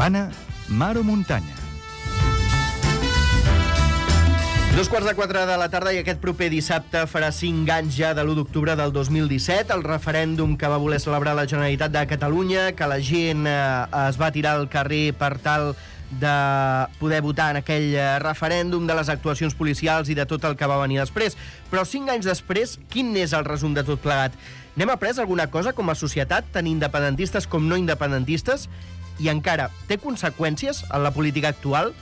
Caravana, mar o muntanya. 3:45 de la tarda i aquest proper dissabte farà 5 anys ja de l'1 d'octubre del 2017, el referèndum que va voler celebrar la Generalitat de Catalunya, que la gent es va tirar al carrer per tal de poder votar en aquell referèndum, de les actuacions policials i de tot el que va venir després. Però 5 anys després, quin és el resum de tot plegat? N'hem après alguna cosa com a societat, tant independentistes com no independentistes? I encara, té conseqüències en la política actual?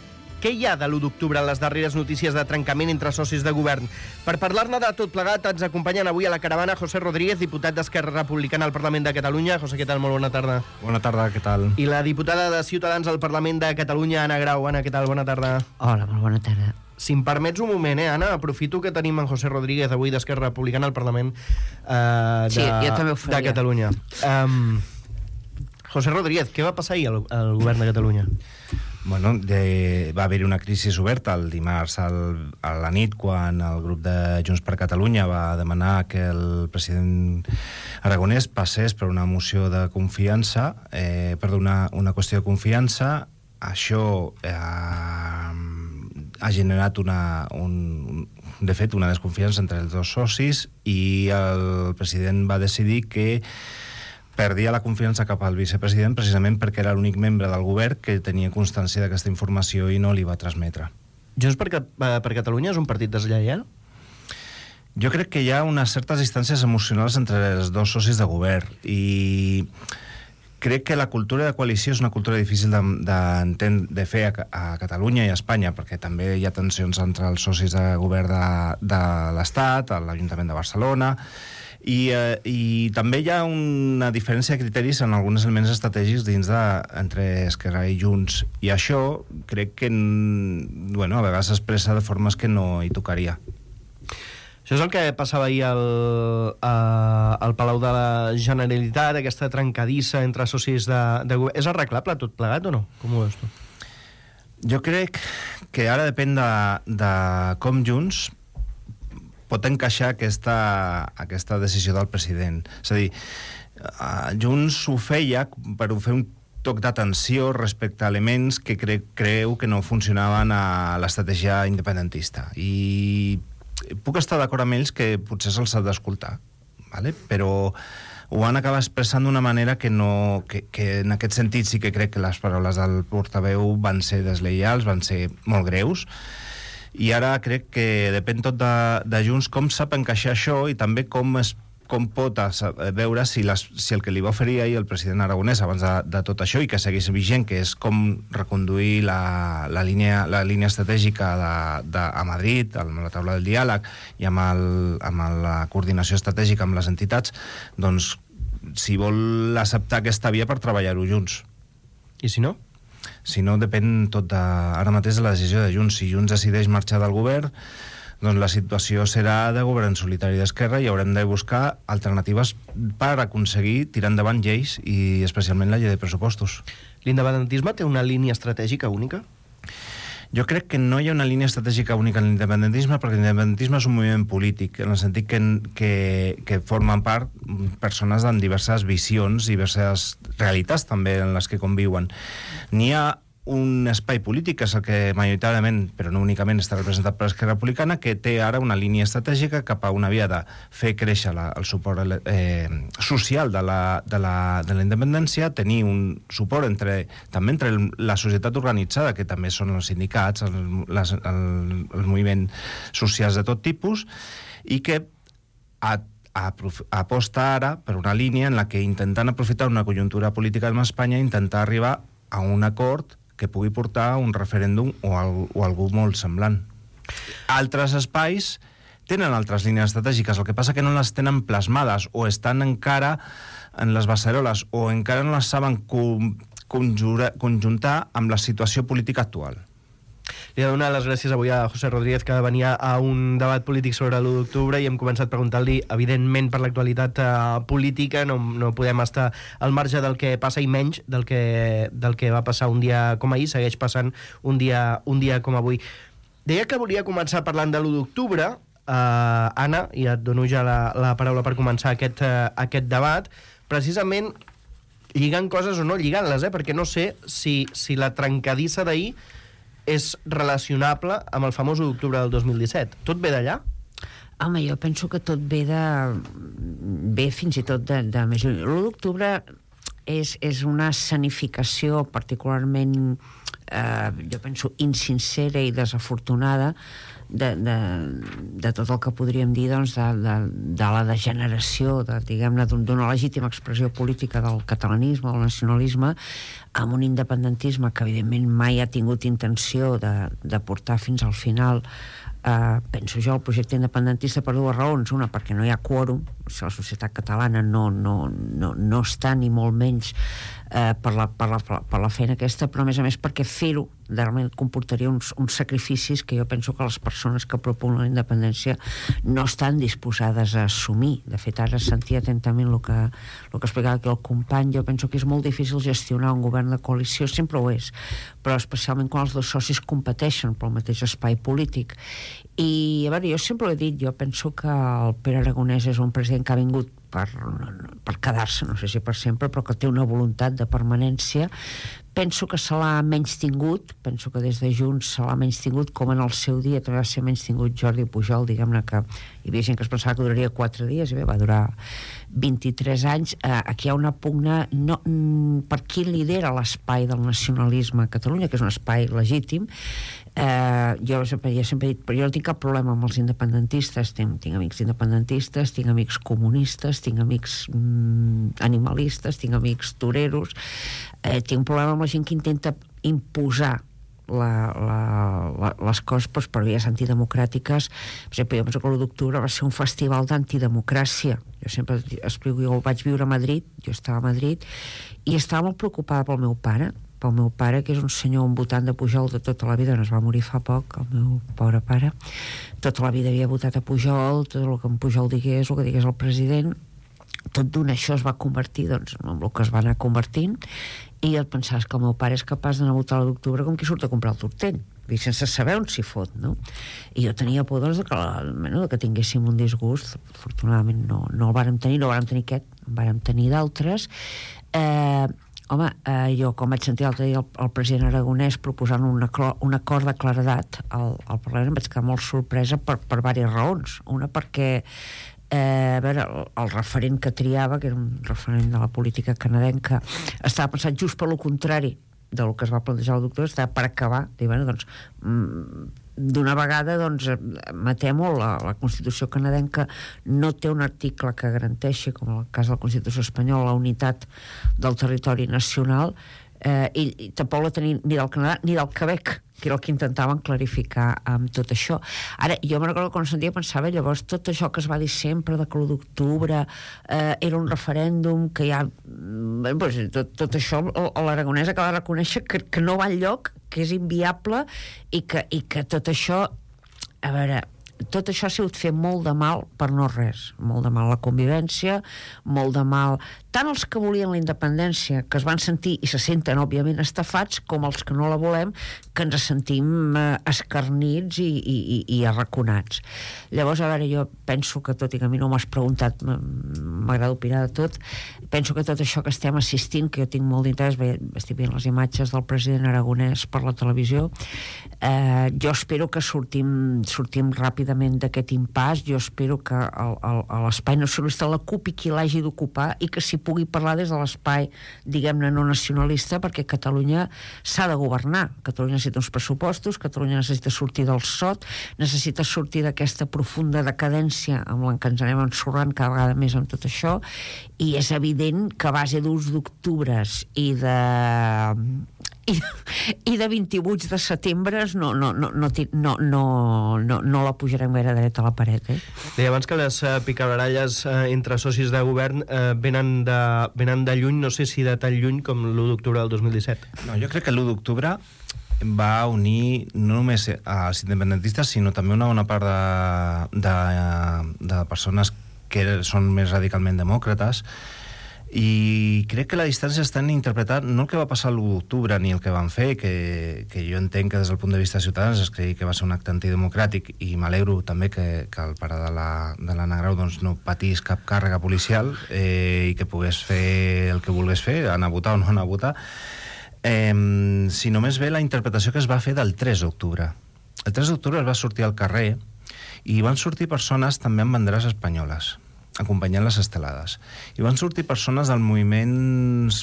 Què hi ha de l'1 d'octubre en les darreres notícies de trencament entre socis de govern? Per parlar-ne de tot plegat ens acompanyen avui a la caravana José Rodríguez, diputat d'Esquerra Republicana al Parlament de Catalunya. José, què tal? Molt bona tarda. Bona tarda, què tal? I la diputada de Ciutadans al Parlament de Catalunya, Anna Grau. Anna, què tal? Bona tarda. Hola, molt bona tarda. Si em permets un moment, Anna, aprofito que tenim en José Rodríguez avui d'Esquerra Republicana al Parlament Sí, jo també ho faria. de Catalunya. José Rodríguez, què va passar ahir al govern de Catalunya? Bueno, va haver-hi una crisi oberta el dimarts a la nit quan el grup de Junts per Catalunya va demanar que el president Aragonès passés per una moció de confiança, una qüestió de confiança. Això ha generat de fet una desconfiança entre els dos socis i el president va decidir que perdia la confiança cap al vicepresident precisament perquè era l'únic membre del govern que tenia constància d'aquesta informació i no li va transmetre. Junts per Catalunya és un partit deslleial? Jo crec que hi ha unes certes distàncies emocionals entre els dos socis de govern i crec que la cultura de coalició és una cultura difícil de fer a Catalunya i a Espanya, perquè també hi ha tensions entre els socis de govern de l'Estat, l'Ajuntament de Barcelona, i també hi ha una diferència de criteris en alguns elements estratègics entre Esquerra i Junts, i això crec que a vegades s'expressa de formes que no hi tocaria. Això és el que passava ahir al Palau de la Generalitat, aquesta trencadissa entre socis de govern. És arreglable tot plegat o no? Com ho veus tu? Jo crec que ara depèn de com Junts pot encaixar aquesta decisió del president. És a dir, Junts ho feia per fer un toc d'atenció respecte a elements que creu que no funcionaven a l'estratègia independentista. I puc estar d'acord amb ells que potser se'ls ha d'escoltar, ¿vale? Però ho van acabar expressant d'una manera que en aquest sentit sí que crec que les paraules del portaveu van ser deslleials, van ser molt greus, i ara crec que depèn tot de Junts com sap encaixar això i també com pot veure si el que li va oferir ahir el president Aragonès abans de tot això i que segueix vigent, que és com reconduir la línia estratègica a Madrid, amb la taula del diàleg i amb la coordinació estratègica amb les entitats, doncs si vol acceptar aquesta via per treballar-ho junts. I si no? Si no, depèn tot ara mateix de la decisió de Junts. Si Junts decideix marxar del govern, doncs la situació serà de govern solitari d'Esquerra i haurem de buscar alternatives per aconseguir tirar endavant lleis i especialment la llei de pressupostos. L'independentisme té una línia estratègica única? Jo crec que no hi ha una línia estratègica única en l'independentisme, perquè l'independentisme és un moviment polític, en el sentit que formen part persones amb diverses visions i diverses realitats també en les que conviuen. N'hi ha un espai polític, que és el que majoritàriament, però no únicament, està representat per Esquerra Republicana, que té ara una línia estratègica cap a una via de fer créixer el suport social de la independència, tenir un suport també entre la societat organitzada, que també són els sindicats, els moviments socials de tot tipus, i que aposta ara per una línia en la que, intentant aprofitar una conjuntura política amb Espanya, intentar arribar a un acord que pugui portar un referèndum o algú molt semblant. Altres espais tenen altres línies estratègiques, el que passa que no les tenen plasmades o estan encara en les beceroles o encara no les saben conjuntar amb la situació política actual. Li he de donar les gràcies avui a José Rodríguez, que venia a un debat polític sobre l'1 d'octubre i hem començat preguntant-li, evidentment, per l'actualitat política, no podem estar al marge del que passa i menys del que va passar un dia com ahir, segueix passant un dia com avui. Deia que volia començar parlant de l'1 d'octubre, Anna, i et dono ja la paraula per començar aquest debat, precisament lligant coses o no lligant-les, perquè no sé si la trencadissa d'ahir és relacionable amb el famós 1 d'octubre del 2017. Tot ve d'allà? Home, jo penso que tot ve fins i tot de més lluny. L'1 d'octubre és una escenificació particularment, jo penso, insincera i desafortunada de tot el que podríem dir, doncs, de la degeneració, diguem-ne, d'una legítima expressió política del catalanisme, del nacionalisme, amb un independentisme que, evidentment, mai ha tingut intenció de portar fins al final, penso jo, el projecte independentista per dues raons. Una, perquè no hi ha quòrum, la societat catalana no està ni molt menys per la feina aquesta, però a més perquè fer-ho realment comportaria uns sacrificis que jo penso que les persones que propugnen la independència no estan disposades a assumir. De fet, ara sentia atentament el que explicava aquí el company. Jo penso que és molt difícil gestionar un govern de coalició, sempre ho és, però especialment quan els dos socis competeixen pel mateix espai polític. I, a veure, jo sempre ho he dit, jo penso que el Pere Aragonès és un president que ha vingut per quedar-se, no sé si per sempre, però que té una voluntat de permanència. Penso que se l'ha menys tingut, penso que des de Junts se l'ha menys tingut, com en el seu dia també va ser menys tingut Jordi Pujol, diguem-ne que hi havia gent que es pensava que duraria 4 dies, i bé, va durar 23 anys. Aquí hi ha una pugna per qui lidera l'espai del nacionalisme a Catalunya, que és un espai legítim. Jo sempre he dit, però jo no tinc cap problema amb els independentistes, tinc amics independentistes, tinc amics comunistes, tinc amics animalistes, tinc amics toreros, tinc un problema amb la gent que intenta imposar les coses per vies antidemocràtiques. Per exemple, jo penso que l'1 d'octubre va ser un festival d'antidemocràcia. Jo sempre explico, jo vaig viure a Madrid, jo estava a Madrid, i estava molt preocupada pel meu pare, que és un senyor, un votant de Pujol de tota la vida, no es va morir fa poc, el meu pobre pare. Tota la vida havia votat a Pujol, tot el que en Pujol digués, el que digués el president, tot d'una això es va convertir, doncs, en el que es va anar convertint, i et pensaves que el meu pare és capaç d'anar a votar l'1 d'octubre com qui surt a comprar el tortell, sense saber on s'hi fot, no? I jo tenia por, doncs, que tinguéssim un disgust. Afortunadament no el vàrem tenir, aquest, en vàrem tenir d'altres. Home, jo, com vaig sentir l'altre dia el president Aragonès proposant un acord de claredat al Parlament, em vaig quedar molt sorpresa per diverses raons. Una, perquè a veure, el referent que triava, que era un referent de la política canadenca, estava pensat just per lo contrari del que es va plantejar l'1 d'octubre, estava per acabar, dir, bueno, doncs, d'una vegada, doncs, matem-ho. La Constitució canadenca no té un article que garanteixi, com en el cas de la Constitució espanyola, la unitat del territori nacional, i tampoc la tenia ni del Canadà ni del Quebec, que era el que intentaven clarificar amb tot això. Ara, jo me recordo que quan sentia pensava, llavors, tot això que es va dir sempre de que l'1 d'octubre era un referèndum, que ja... Tot això l'Aragonès acaba de reconèixer que no va enlloc, que és inviable, i que tot això... A veure, tot això ha sigut fer molt de mal per no res. Molt de mal a la convivència, molt de mal tant els que volien la independència, que es van sentir i se senten òbviament estafats, com els que no la volem, que ens sentim escarnits i arraconats. Llavors, a veure, jo penso que, tot i que a mi no m'has preguntat, m'agrada opinar de tot, penso que tot això que estem assistint, que jo tinc molt d'interès, estic veient les imatges del president Aragonès per la televisió, jo espero que sortim ràpidament d'aquest impàs. Jo espero que l'espai nacionalista l'ocupi qui l'hagi d'ocupar, i que s'hi pugui parlar des de l'espai, diguem-ne, no nacionalista, perquè Catalunya s'ha de governar. Catalunya necessita uns pressupostos, Catalunya necessita sortir del sot, necessita sortir d'aquesta profunda decadència amb la que ens anem ensorrant cada vegada més amb tot això, i és evident que a base d'1 d'octubres i de 28 de setembre no la pujarem gaire dreta a la paret, Deia abans que les picabaralles entre socis de govern venen de lluny, no sé si de tan lluny com l'1 d'octubre del 2017. No, jo crec que l'1 d'octubre va unir no només als independentistes, sinó també una bona part de persones que són més radicalment demòcrates, I crec que la distància estan interpretant no el que va passar l'1 d'octubre ni el que van fer, que jo entenc que des del punt de vista de Ciutadans es cregui que va ser un acte antidemocràtic, i m'alegro també que el pare de l'Anna Grau doncs, no patís cap càrrega policial i que pogués fer el que volgués fer, anar a votar o no anar a votar, sinó més bé la interpretació que es va fer del 3 d'octubre. El 3 d'octubre es va sortir al carrer i van sortir persones també amb banderes espanyoles acompanyant les estelades. I van sortir persones dels moviments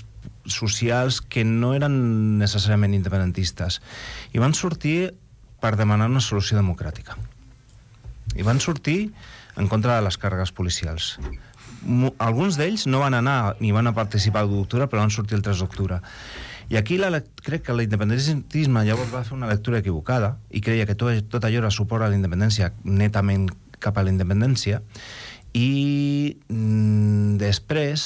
socials que no eren necessàriament independentistes. I van sortir per demanar una solució democràtica. I van sortir en contra de les càrregues policials. Alguns d'ells no van anar ni van a participar l'1 d'octubre, però van sortir el 3 d'octubre. I aquí crec que l'independentisme llavors va fer una lectura equivocada i creia que tot allò era suport a la independència, netament cap a la independència, i després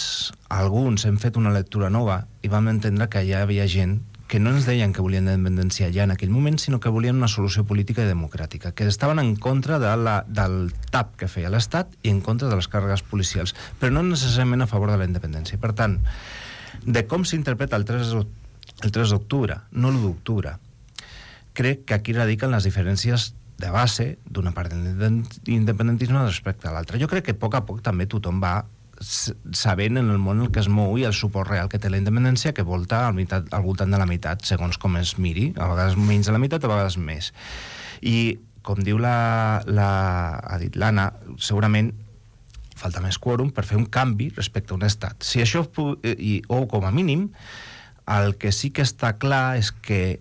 alguns hem fet una lectura nova i vam entendre que ja hi havia gent que no ens deien que volien la independència ja en aquell moment, sinó que volien una solució política i democràtica, que estaven en contra del tap que feia l'Estat i en contra de les càrregues policials, però no necessàriament a favor de la independència. Per tant, de com s'interpreta el 3 d'octubre, no l'1 d'octubre, crec que aquí radiquen les diferències de base d'una part de l'independentisme respecte a l'altra. Jo crec que a poc també tothom va sabent en el món en el que es mou i el suport real que té la independència, que volta al voltant de la meitat, segons com es miri, a vegades menys de la meitat, a vegades més. I, com diu ha dit l'Anna, segurament falta més quòrum per fer un canvi respecte a un estat. Si això, o com a mínim, el que sí que està clar és que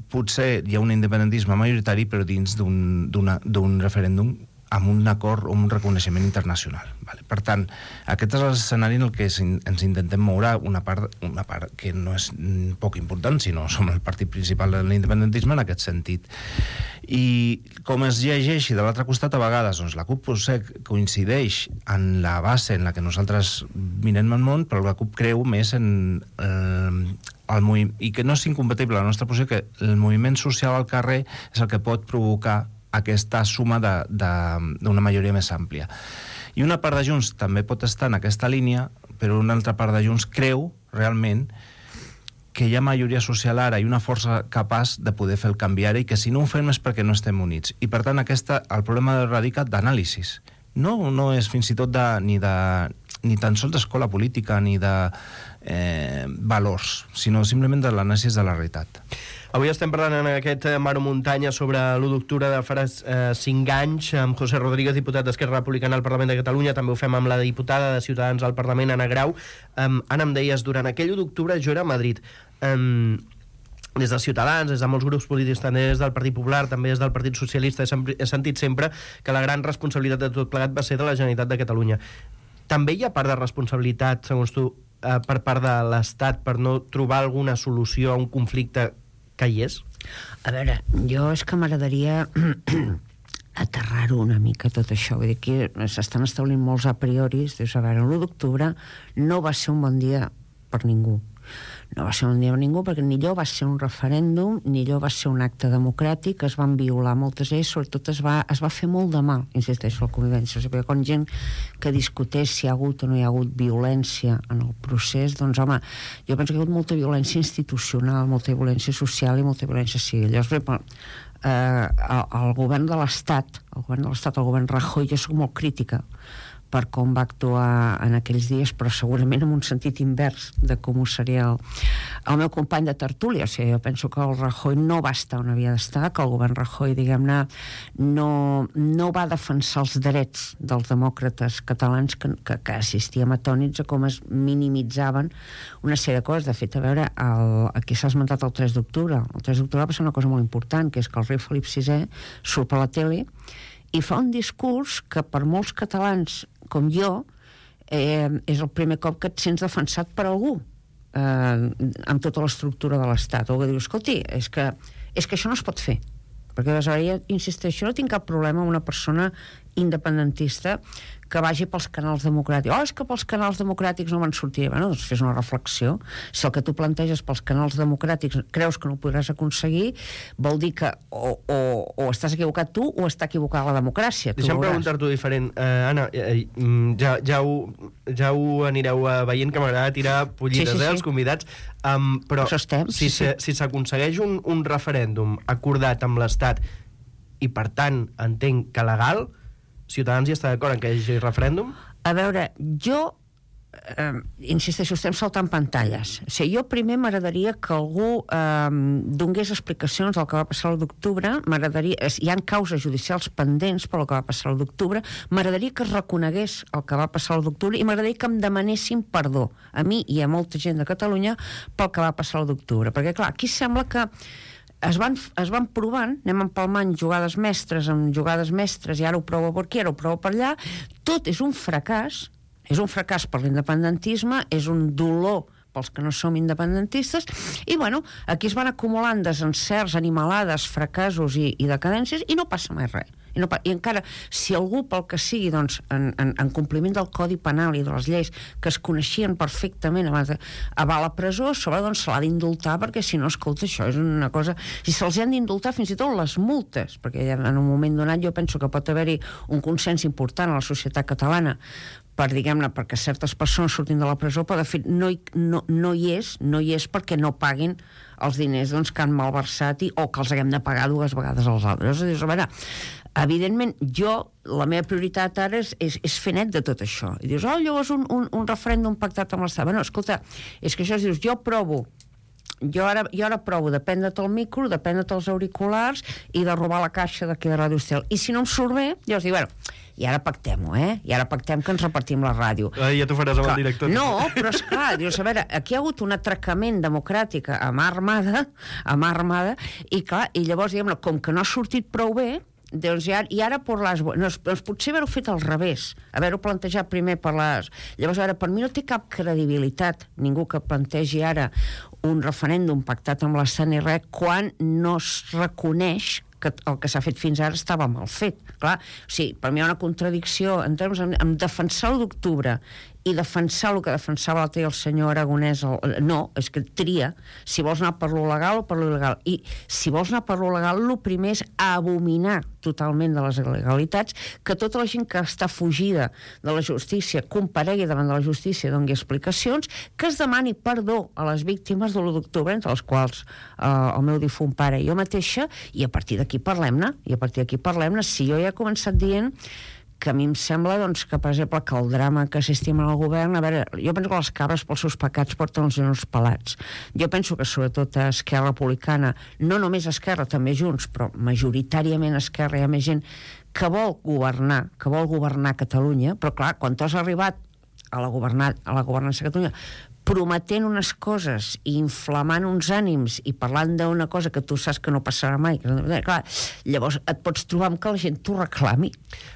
potser hi ha un independentisme majoritari, però dins d'un referèndum amb un acord o un reconeixement internacional. Vale? Per tant, aquest és l'escenari en el que ens intentem moure una part que no és poc important, sinó som el partit principal de l'independentisme en aquest sentit. I com es llegeixi de l'altre costat, a vegades doncs, la CUP potser coincideix en la base en la que nosaltres mirem el món, però la CUP creu més en i que no és incompatible la nostra posició, que el moviment social al carrer és el que pot provocar aquesta suma d'una majoria més àmplia. I una part de Junts també pot estar en aquesta línia, però una altra part de Junts creu realment que hi ha majoria social ara i una força capaç de poder fer el canvi ara, i que si no ho fem és perquè no estem units. I per tant el problema radica d'anàlisis. No és fins i tot ni tan sols d'escola política ni de valors, sinó simplement de l'anàlisi de la realitat. Avui estem parlant en aquest Maro Muntanya sobre l'1 d'octubre de farà 5 anys amb José Rodríguez, diputat d'Esquerra Republicana al Parlament de Catalunya. També ho fem amb la diputada de Ciutadans al Parlament, Anna Grau. Anna, em deies, durant aquell 1 d'octubre jo era a Madrid. Des de Ciutadans, des de molts grups polítics, també des del Partit Popular, també des del Partit Socialista, he sentit sempre que la gran responsabilitat de tot plegat va ser de la Generalitat de Catalunya. També hi ha part de responsabilitat, segons tu, per part de l'Estat per no trobar alguna solució a un conflicte que hi és? A veure, jo és que m'agradaria aterrar-ho una mica tot això. Vull dir que s'estan establint molts a prioris. Dius, a veure, l'1 d'octubre no va ser un bon dia per ningú. No va ser un dia per ningú perquè ni allò va ser un referèndum, ni allò va ser un acte democràtic, es van violar moltes lleis, sobretot es va fer molt de mal, insisteixo, la convivència. O sigui, quan gent que discuteix si hi ha hagut o no hi ha hagut violència en el procés, doncs home, jo penso que hi ha hagut molta violència institucional, molta violència social i molta violència civil. Llavors, per exemple, el govern de l'Estat, el govern Rajoy, jo soc molt crítica per com va actuar en aquells dies, però segurament en un sentit invers de com ho seria el meu company de tertúlia. O sigui, jo penso que el Rajoy no va estar on havia d'estar, que el govern Rajoy, diguem-ne, no va defensar els drets dels demòcrates catalans, que assistíem atònits a com es minimitzaven una sèrie de coses. De fet, a veure, aquí s'ha esmentat el 3 d'octubre. El 3 d'octubre va ser una cosa molt important, que és que el rei Felip VI surt per la tele i fa un discurs que per molts catalans com jo és el primer cop que et sents defensat per algú amb tota l'estructura de l'Estat. O que dius, escolti, és que això no es pot fer. Perquè aleshores, insisteixo, no tinc cap problema amb una persona independentista que vagi pels canals democràtics. És que pels canals democràtics no me'n sortiré. Bueno, doncs fes una reflexió. Si el que tu planteges pels canals democràtics creus que no ho podràs aconseguir, vol dir que o estàs equivocat tu o està equivocada la democràcia. Deixa'm preguntar-t'ho diferent. Anna, ja ho anireu veient, que m'agrada tirar pollites, els convidats. Però si s'aconsegueix un referèndum acordat amb l'Estat i, per tant, entenc que legal, Ciutadans hi està d'acord en que hi hagi referèndum? A veure, jo insisteixo, estem saltant pantalles. O sigui, jo primer m'agradaria que algú donés explicacions del que va passar l'1 d'octubre. Hi ha causes judicials pendents per el que va passar l'1 d'octubre. M'agradaria que es reconegués el que va passar l'1 d'octubre i m'agradaria que em demanessin perdó a mi i a molta gent de Catalunya pel que va passar l'1 d'octubre. Perquè, clar, aquí sembla que es van provant, anem empalmant jugades mestres amb jugades mestres, i ara ho provo per aquí, ara ho provo per allà. Tot és un fracàs per l'independentisme, és un dolor pels que no som independentistes, i bueno, aquí es van acumulant desencerts, animalades, fracassos i decadències, i no passa mai res. I encara, si algú, pel que sigui, doncs, en compliment del Codi Penal i de les lleis que es coneixien perfectament abans va a la presó, a sobre doncs se l'ha d'indultar, perquè si no, escolta, això és una cosa... Si se'ls han d'indultar fins i tot les multes, perquè en un moment donat jo penso que pot haver-hi un consens important a la societat catalana per, diguem-ne, perquè certes persones surtin de la presó, però de fet no hi és perquè no paguin els diners doncs, que han malversat o que els haguem de pagar 2 vegades als altres. És a veure, evidentment, la meva prioritat ara és fer net de tot això. I dius, llavors un referèndum pactat amb l'Estat. Bueno, escolta, és que això dius, jo ara provo de prendre't el micro, de prendre't els auriculars i de robar la caixa d'aquí de Ràdio Estel. I si no em surt bé, llavors dic, i ara pactem-ho, I ara pactem que ens repartim la ràdio. Ja t'ho faràs amb el director. No, però esclar, dius, a veure, aquí hi ha hagut un atracament democràtic a mà armada, i clar, i llavors, diguem-ne, com que no ha sortit prou bé, doncs i ara per les... Doncs potser haver-ho fet al revés, haver-ho plantejat primer per les... Llavors, ara, per mi no té cap credibilitat ningú que plantegi ara un referèndum pactat amb l'Estat ni res, quan no es reconeix que el que s'ha fet fins ara estava mal fet. Clar, o sigui, per mi hi ha una contradicció en termes en defensar l'1 d'octubre i defensar el que defensava l'altre dia el senyor Aragonès. No, és que tria si vols anar per lo legal o per lo il·legal. I si vols anar per lo legal, el primer és abominar totalment de les il·legalitats, que tota la gent que està fugida de la justícia comparegui davant de la justícia, doni explicacions, que es demani perdó a les víctimes de l'1 d'octubre, entre les quals el meu difunt pare i jo mateixa, i a partir d'aquí parlem-ne. Si jo ja he començat dient que a mi em sembla doncs, que, per exemple, que el drama que s'estima en el govern... A veure, jo penso que les cabres pels seus pecats porten els genolls pelats. Jo penso que, sobretot, a Esquerra Republicana, no només Esquerra, també Junts, però majoritàriament a Esquerra hi ha més gent que vol governar Catalunya, però, clar, quan tu has arribat a la governança de Catalunya prometent unes coses i inflamant uns ànims i parlant d'una cosa que tu saps que no passarà mai, clar, llavors et pots trobar amb que la gent t'ho reclami.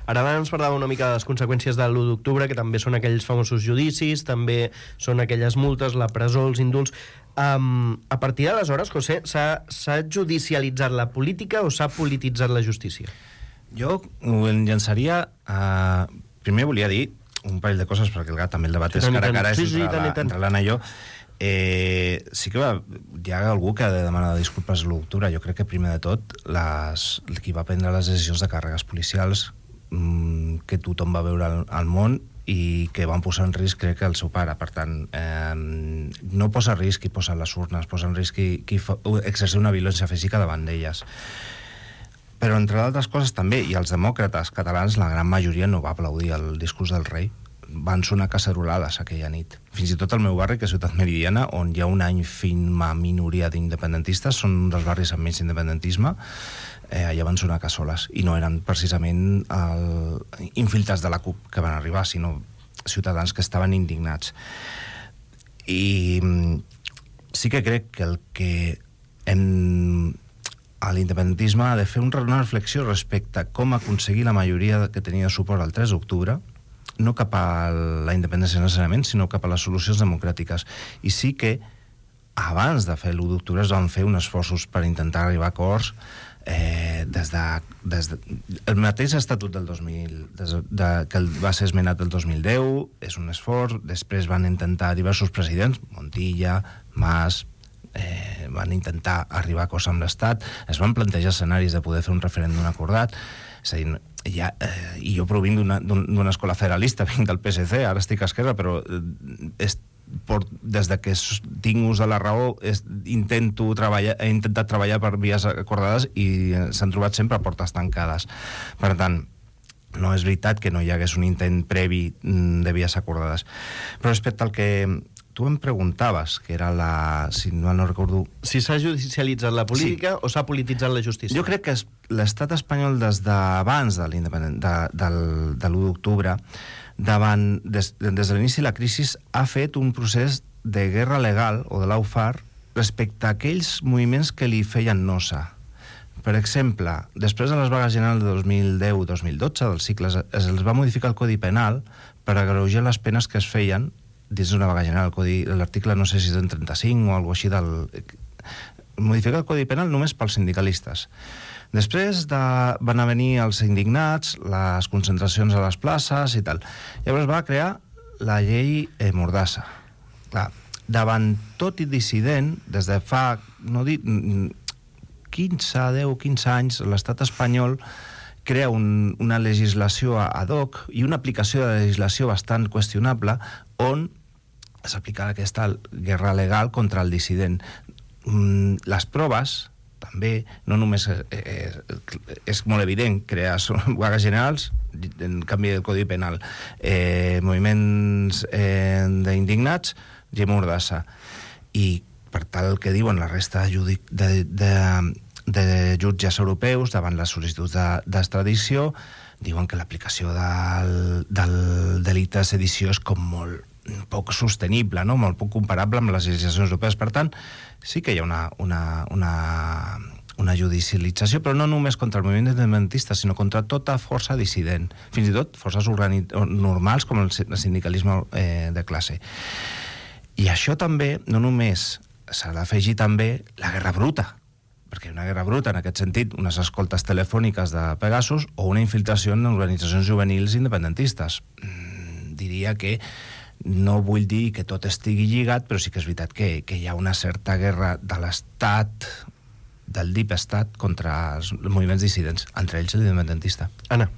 Ara abans parlava una mica de les conseqüències de l'1 d'octubre, que també són aquells famosos judicis, també són aquelles multes, la presó, els indults. A partir d'aleshores, José, s'ha judicialitzat la política o s'ha polititzat la justícia? Jo ho llançaria... Primer volia dir un parell de coses, perquè també el debat és cara a cara entre l'Anna i jo. Sí que hi ha algú que ha de demanar disculpes a l'1 d'octubre. Jo crec que primer de tot qui va prendre les decisions de càrregues policials que tothom va veure al món i que van posar en risc, crec que el seu pare. Per tant, no posa en risc qui posa les urnes, posa en risc qui exercer una violència física davant d'elles. Però, entre d'altres coses, també, i els demòcrates catalans, la gran majoria no va aplaudir el discurs del rei. Van sonar cacerolades aquella nit. Fins i tot el meu barri, que és Ciutat Meridiana, on hi ha una ínfima minoria d'independentistes, són un dels barris amb menys independentisme, allà van sonar cassoles. I no eren precisament infiltrats de la CUP que van arribar, sinó ciutadans que estaven indignats. I sí que crec que el que l'independentisme ha de fer una reflexió respecte a com aconseguir la majoria que tenia suport al 3 d'octubre, no cap a la independència necessàriament, sinó cap a les solucions democràtiques. I sí que abans de fer l'1 d'octubre es van fer uns esforços per intentar arribar a acords des el mateix estatut del 2000, que va ser esmenat el 2010, és un esforç. Després van intentar diversos presidents, Montilla, Mas, van intentar arribar a acords amb l'Estat, es van plantejar escenaris de poder fer un referèndum acordat. És a dir, i jo provinc d'una escola federalista, vinc del PSC, ara estic a Esquerra, però des de que tinc ús de la raó he intentat treballar per vies acordades i s'han trobat sempre a portes tancades. Per tant, no és veritat que no hi hagués un intent previ de vies acordades. Però respecte al que tu em preguntaves, que era si no recordo... Si s'ha judicialitzat la política o s'ha polititzat la justícia? Jo crec que l'estat espanyol des d'abans de l'1 d'octubre, des de l'inici de la crisi, ha fet un procés de guerra legal, o de l'AUFAR, respecte a aquells moviments que li feien nosa. Per exemple, després de les vagues generals de 2010-2012, dels cicles, es va modificar el Codi Penal per agreujar les penes que es feien dins d'una vaga general. L'article, no sé si és en 35 o alguna cosa així, modificar el Codi Penal només pels sindicalistes. Després van venir els indignats, les concentracions a les places i tal. Llavors va crear la llei Mordassa. Clar, davant tot i dissident, des de fa 10-15 anys, l'estat espanyol crea una legislació ad hoc i una aplicació de legislació bastant qüestionable on s'aplica aquesta guerra legal contra el dissident. Les proves, també, no només és molt evident crear vagues generals, en canvi del Codi Penal, moviments d'indignats, llei Mordassa. I per tal que diuen la resta de jutges europeus davant les sol·licituds d'extradició, diuen que l'aplicació del delicte de sedició és com molt poc sostenible, no? Molt poc comparable amb les legislacions europees. Per tant, sí que hi ha una judicialització, però no només contra el moviment independentista, sinó contra tota força dissident, fins i tot forces normals com el sindicalisme de classe. I això també, no només s'ha d'afegir també la guerra bruta, perquè una guerra bruta, en aquest sentit, unes escoltes telefòniques de Pegasus o una infiltració en organitzacions juvenils independentistes. Diria que no vull dir que tot estigui lligat, però sí que és veritat que hi ha una certa guerra de l'Estat, del deep estat, contra els moviments dissidents, entre ells l'independentista. Anna.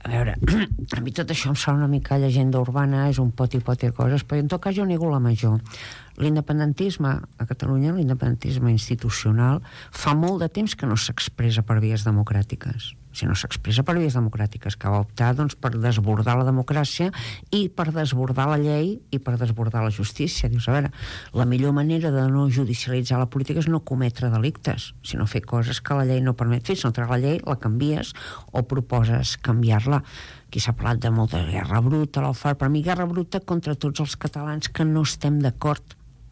A veure, a mi tot això em sona una mica llegenda urbana, és un pot i de coses, però en tot cas jo nego la major. L'independentisme a Catalunya, l'independentisme institucional, fa molt de temps que no s'expressa per vies democràtiques. Si no s'expressa per vies democràtiques, que va optar doncs, per desbordar la democràcia i per desbordar la llei i per desbordar la justícia. Dius, a veure, la millor manera de no judicialitzar la política és no cometre delictes, sinó fer coses que la llei no permet fer. Si no treus la llei, la canvies o proposes canviar-la. Aquí s'ha parlat de molta guerra bruta, l'AUFAR. Per mi, guerra bruta contra tots els catalans que no estem d'acord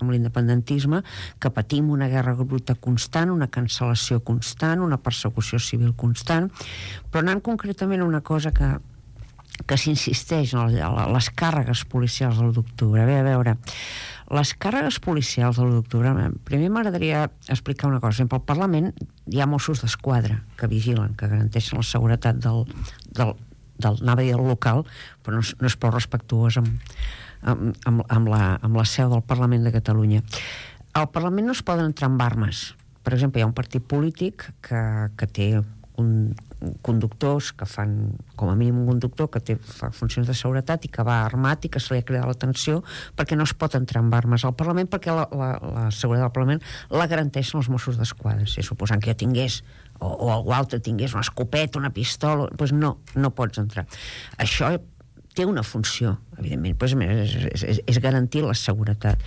amb l'independentisme, que patim una guerra bruta constant, una cancel·lació constant, una persecució civil constant, però anant concretament a una cosa que s'insisteix, les càrregues policials de l'1 d'octubre. A veure, les càrregues policials de l'1 d'octubre, primer m'agradaria explicar una cosa. Al Parlament hi ha Mossos d'Esquadra que vigilen, que garanteixen la seguretat anava a dir del local, però no és prou respectuós amb la seu del Parlament de Catalunya. Al Parlament no es poden entrar amb armes. Per exemple, hi ha un partit polític que té conductors que fan, com a mínim un conductor que fa funcions de seguretat i que va armat i que se li ha cridat l'atenció perquè no es pot entrar amb armes al Parlament, perquè la seguretat del Parlament la garanteixen els Mossos d'Esquadra. Si suposant que jo tingués o algú altre tingués una escopeta, una pistola, doncs no pots entrar. Això té una funció, evidentment, però és garantir la seguretat.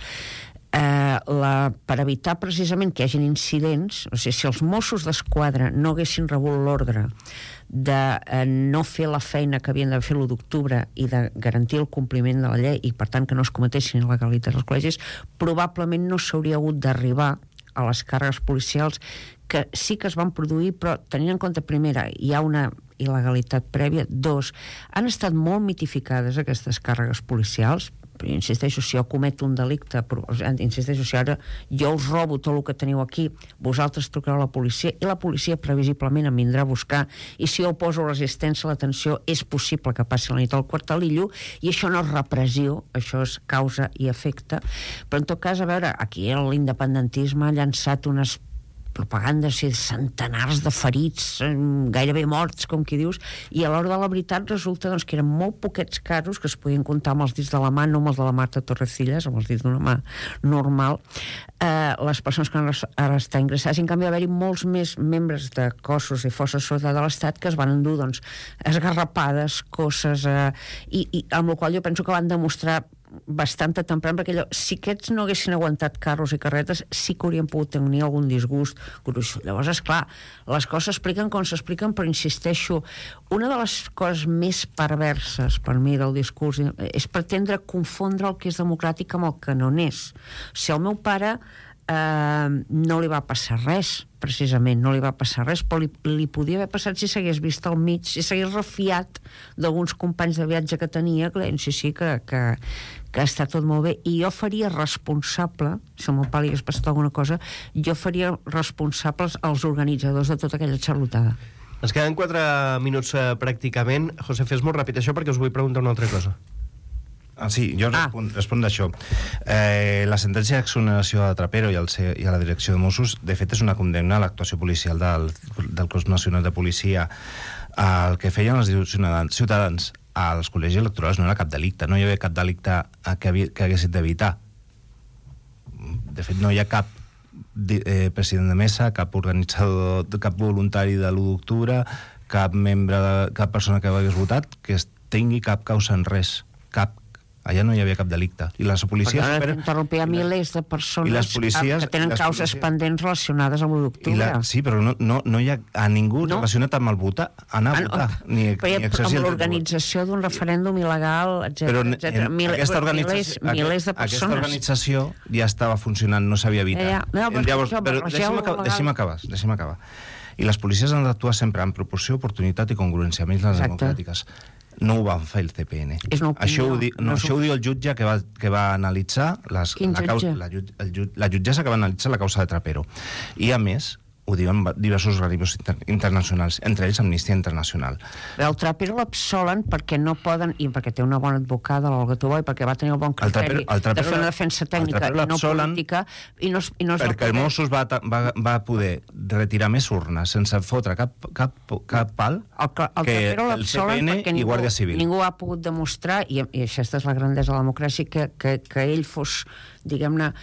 Per evitar precisament que hi hagin incidents, o sigui, si els Mossos d'Esquadra no haguessin rebut l'ordre de no fer la feina que havien de fer l'1 d'octubre i de garantir el compliment de la llei i per tant que no es cometessin il·legalitats als col·legis, probablement no s'hauria hagut d'arribar a les càrregues policials, que sí que es van produir, però tenint en compte, primera, hi ha una il·legalitat prèvia, dos, han estat molt mitificades aquestes càrregues policials. insisteixo, si jo cometo un delicte, insisteixo, si ara jo us robo tot el que teniu aquí, vosaltres trucareu a la policia i la policia previsiblement em vindrà a buscar, i si jo poso resistència a l'atenció és possible que passi la nit al quartelillo, i això no és repressió, això és causa i efecte. Però en tot cas, a veure, aquí l'independentisme ha llançat unes propagandes i centenars de ferits, gairebé morts, com qui dius, i a l'hora de la veritat resulta doncs, que eren molt poquets casos que es podien comptar amb els dits de la mà, no amb els de la Marta Torrecillas, amb els dits d'una mà normal, les persones que ara estan ingressades. En canvi, va haver-hi molts més membres de cossos i forces de seguretat de l'Estat que es van endur doncs, esgarrapades, coses, i amb la qual jo penso que van demostrar bastanta temprana, perquè si aquests no haguessin aguantat carros i carretes sí que haurien pogut tenir algun disgust gruix. Llavors, esclar, les coses s'expliquen com s'expliquen, però insisteixo, una de les coses més perverses per mi del discurs és pretendre confondre el que és democràtic amb el que no n'és. Si el meu pare no li va passar res, precisament, no li va passar res, però li podia haver passat si s'hagués vist al mig, si s'hagués refiat d'alguns companys de viatge que tenia, que deien, sí, que està tot molt bé, i jo faria responsable, si al meu pare li hagués passat alguna cosa, jo faria responsables als organitzadors de tota aquella xarlotada. Ens queden 4 minuts pràcticament. José, fes molt ràpid això perquè us vull preguntar una altra cosa. Sí, jo responc d'això. La sentència d'exoneració de Trapero i a la direcció de Mossos, de fet, és una condemna a l'actuació policial del Cos Nacional de Policia. El que feien els ciutadans als col·legis electorals no era cap delicte, no hi havia cap delicte que haguessin d'evitar. De fet, no hi ha cap president de mesa, cap organitzador, cap voluntari de l'1 d'octubre, cap persona que hagués votat que tingui cap causa en res, cap. Allà no hi havia cap delicte. I les policies... Perquè interrompia milers de persones que tenen causes pendents relacionades amb l'1 d'octubre. Sí, però no hi ha a ningú relacionat amb el votar, anar a votar, ni exercir el dret. Amb l'organització d'un referèndum il·legal, etc. Milers de persones. Aquesta organització ja estava funcionant, no s'havia evitat. Però deixi'm acabar. I les policies han d'actuar sempre en proporció, oportunitat i congruència, amb les democràtiques. No ho van fer el CPN. Això ho diu el jutge que va analitzar la jutgessa que va analitzar la causa de Trapero. I, a més, ho diuen diversos organismes internacionals, entre ells Amnistia Internacional. El Trapero l'absolen perquè no poden, i perquè té una bona advocada, l'Olga Tobó, i perquè va tenir el bon criteri de fer una defensa tècnica i no política, i no perquè el Mossos va poder retirar més urnes sense fotre cap pal que el CPN i Guàrdia Civil. Ningú ha pogut demostrar, i aquesta és la grandesa de la democràcia, que ell fos, diguem-ne,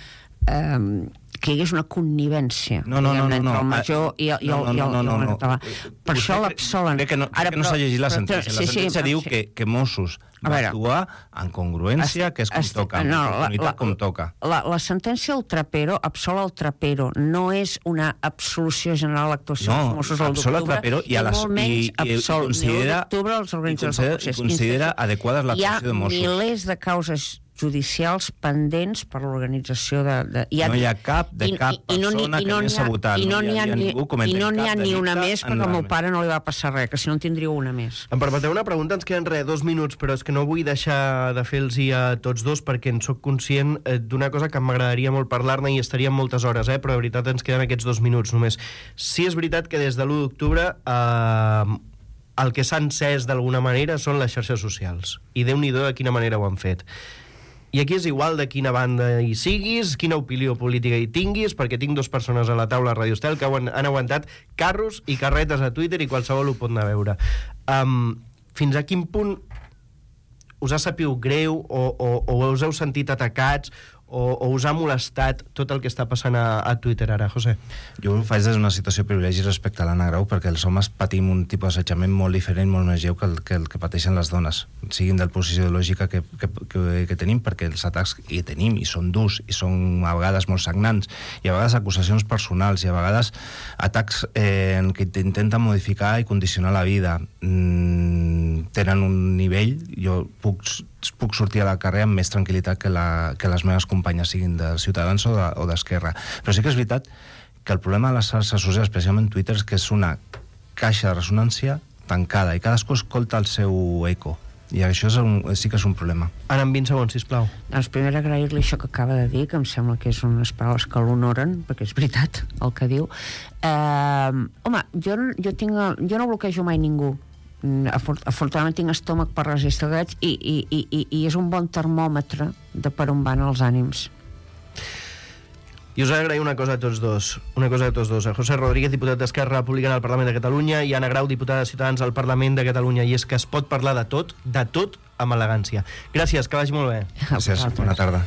que hi hagués una connivència entre el major i el català. Per això l'absolen. Crec que no s'ha llegit la sentència. La sentència diu que Mossos va actuar en congruència, que és com toca, en oportunitat com toca. La sentència del Trapero absol el Trapero, no és una absolució general a l'actuació dels Mossos al d'octubre, i molt menys absol d'octubre als organitzadors del procés. Considera adequades l'actuació de Mossos. Hi ha milers de causes judicials pendents per l'organització de... No hi ha cap persona que anés a votar. I no n'hi ha ni una més, perquè al meu pare no li va passar res, que si no en tindria una més. Em permeteu una pregunta? Ens queden 2 minuts, però és que no vull deixar de fer-los a tots dos, perquè en soc conscient d'una cosa que m'agradaria molt parlar-ne i estaríem moltes hores, però de veritat ens queden aquests 2 minuts només. Sí, és veritat que des de l'1 d'octubre el que s'ha encès d'alguna manera són les xarxes socials. I Déu-n'hi-do de quina manera ho han fet. I aquí és igual de quina banda hi siguis, quina opinió política hi tinguis, perquè tinc 2 persones a la taula a Radio Estel que han aguantat carros i carretes a Twitter i qualsevol ho pot anar a veure. Fins a quin punt us ha sabut greu o us heu sentit atacats o us ha molestat tot el que està passant a Twitter ara, José? Jo ho faig des d'una situació de privilegi respecte a l'Anna Grau, perquè els homes patim un tipus d'assetjament molt diferent, molt més lleu que el que pateixen les dones, siguin de la posició ideològica que tenim, perquè els atacs que tenim i són durs i són a vegades molt sagnants, i a vegades acusacions personals, i a vegades atacs en què intenten modificar i condicionar la vida, tenen un nivell, jo puc sortir a la carrer amb més tranquil·litat que les meves companyes, siguin de Ciutadans o d'Esquerra. Però sí que és veritat que el problema de les xarxes socials, especialment Twitter, és que és una caixa de ressonància tancada i cadascú escolta el seu eco. I això sí que és un problema. Ara, en 20 segons, sisplau. Doncs primer agrair-li això que acaba de dir, que em sembla que és unes paraules que l'honoren, perquè és veritat el que diu. Home, jo no bloquejo mai ningú. Afortunadament tinc estómac per resistir drets i és un bon termòmetre de per on van els ànims. I us agraïm una cosa a tots dos. A José Rodríguez, diputat d'Esquerra Republicana al Parlament de Catalunya, i Anna Grau, diputada de Ciutadans al Parlament de Catalunya. I és que es pot parlar de tot, amb elegància. Gràcies, que vagi molt bé. Gràcies, bona tarda.